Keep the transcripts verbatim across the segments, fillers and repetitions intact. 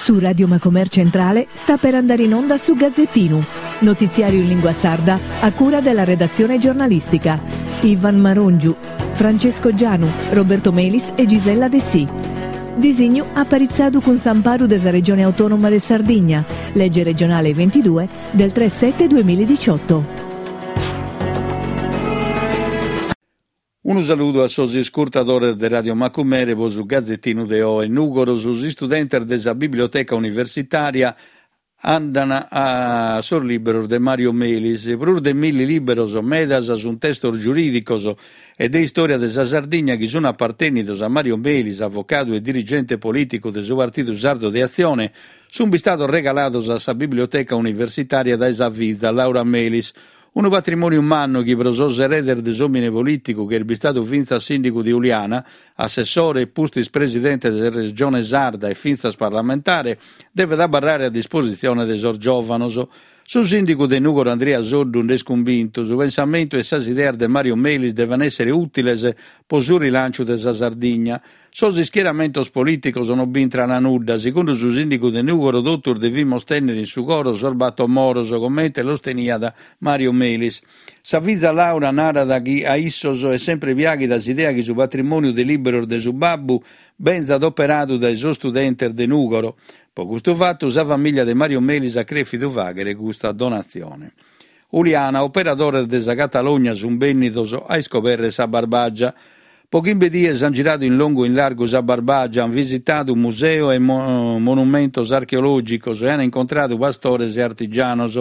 Su Radio Macomer Centrale sta per andare in onda su Gazzettinu, notiziario in lingua sarda a cura della redazione giornalistica. Ivan Marongiu, Francesco Gianu, Roberto Melis e Gisella Dessì. Disignu aparitzadu cun s'amparu de sa Regione Autonoma de Sardigna, legge regionale ventidue del tre sette duemiladiciotto. Unu saludu a sos iscurtadores de Radio Macumere pro su Gazzettinu de oe. Nùgoro, sos istudentes de sa Biblioteca Universitària andana a sos liberos de Mario Melis. Prus de milli liberos, medas sunt testos giurìdicos e de istòria de sa Sardigna chi sunt apartènnidos a Mario Melis, avocadu e dirigente polìticu de su Partidu Sardu de Atzione, sunt bistados regalados a sa Biblioteca Universitària dae sa fiza Laura Melis. Unu patrimòniu mannu chi pro sos eredes de s'òmine polìticu, chi est bistadu fintzas sìndigu de Uliana, assessore e pustis presidente de sa Regione Sarda e fintzas parlamentare, devet abarrare a dispositzione de sos giòvanos. Su sìndigu de Nùgoro Andria Soddu nd'est cumbintu, su pensamentu e sas ideas de Mario Melis devent èssere ùtiles pro su rilànciu de sa Sardigna. Sos ischieramentos polìticos non b'intrant nudda. Segundu su sìndigu de Nùgoro, totus devimus tènnere in su coro sos bator moros, comente los teniat Mario Melis. Sa fiza Laura narat chi a issos est sempre piàghida s'idea chi su patrimòniu de liberos de su babbu benzat operadu dae sos studentes de Nùgoro. Pro custu fatu, sa famìlia de Mario Melis at crèfidu fàghere custa donatzione. Uliana, operadores de sa Catalogna sunt bènnidos a iscobèrrere sa Barbàgia. Pro chimbe dies ant giradu in longu e in largu sa Barbàgia, ant visitadu museo e monumentos archeològicos e ant incontradu pastores e artigianos.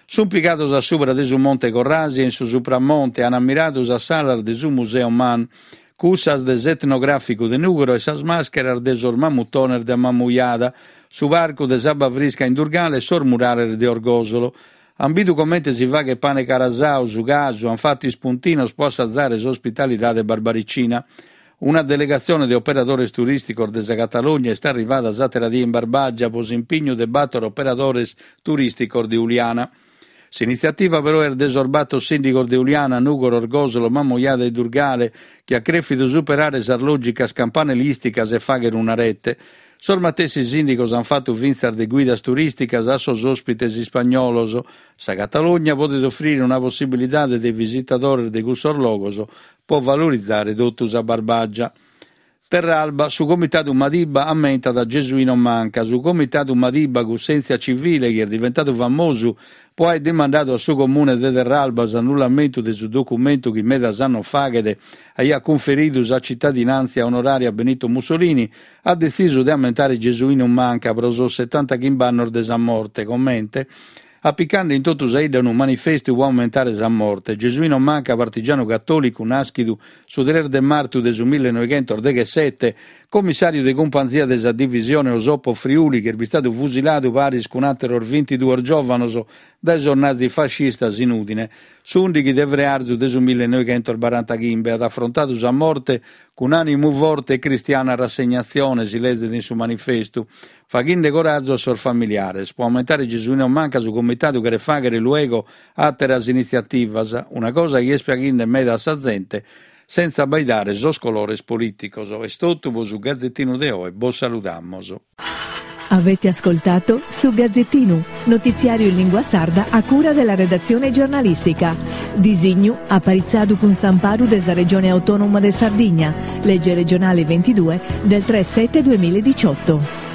Sunt pigados a subra de su Monte Corrasi e in su Supramonte, ant ammiradu sas salas de su Museo Man, cussas de s'etnogràficu de Nùgoro e sas màscheras de sos mamutones de Mamujada, su parcu de s'Abba Frisca in Durgale e sos murales de Orgòsolo. Ant bidu comente si faghet pane carasau, su casu, ant fatu ispuntinos pro assazare s'ospitalidade barbaricina. Una delegatzione de operadores turìsticos de sa Catalogna est arrivada s'àtera die in Barbàgia pro s'impignu de bator operadores turìsticos de Uliana. S'initziativa però est de sos bator sìndigos de Uliana, Nùgoro, Orgòsolo, Mamujada e Durgale, chi at crèfidu superare sas lògicas campanilìsticas e fàghere una rete. Sos matessi sìndigos ant fatu fintzas de guidas turìsticas a sos òspites ispagnolos. Sa Catalogna podet ofrire una possibilidade de visitadores de cussos logos pro valorizare totu sa Barbàgia. Terralba, su Comitadu Madiba ammentat a Gesuino Manca. Su Comitadu Madiba, cussèntzia civile chi est diventadu famosu pro aer dimandadu a su Comune de Terralba s'annullamentu de su documentu chi medas annos faghet aiat cunferidu sa cittadinàntzia onorària a Benito Mussolini, at detzisu de ammentare Gesuino Manca pro sos setantachimbe annos de sa morte, comente apicande in totu sa 'idda unu manifestu pro ammentare sa morte. Gesuino Manca, partigianu catòlicu nàschidu su tres de martu de su millenoighentos deghessete, commissàriu de cumpanzia de sa divisione Osopo Friuli, chi est bistadu fusiladu paris cun àteros bintiduos giòvanos dae sos nazifascistas in Ùdine, s'ùndighi de frearzu de su millenoighentos barantachimbe, at afrontadu sa morte cun ànimu forte e cristiana rassegnatzione, si lezet in su manifestu, faghende corazu a sos familiares. Pro ammentare Gesuino Manca, su comitadu cheret fàghere luego àteras initziativas, una cosa chi est piaghende meda a sa zente, sentza abbaidare sos colores polìticos. Est totu pro su Gazzettinu de oe, bos saludamos. Avete ascoltato Su Gazzettinu, notiziario in lingua sarda a cura della redazione giornalistica. Disignu aparitzadu cun s'amparu de sa Regione Autonoma de Sardigna, legge regionale ventidue del tre sette duemiladiciotto.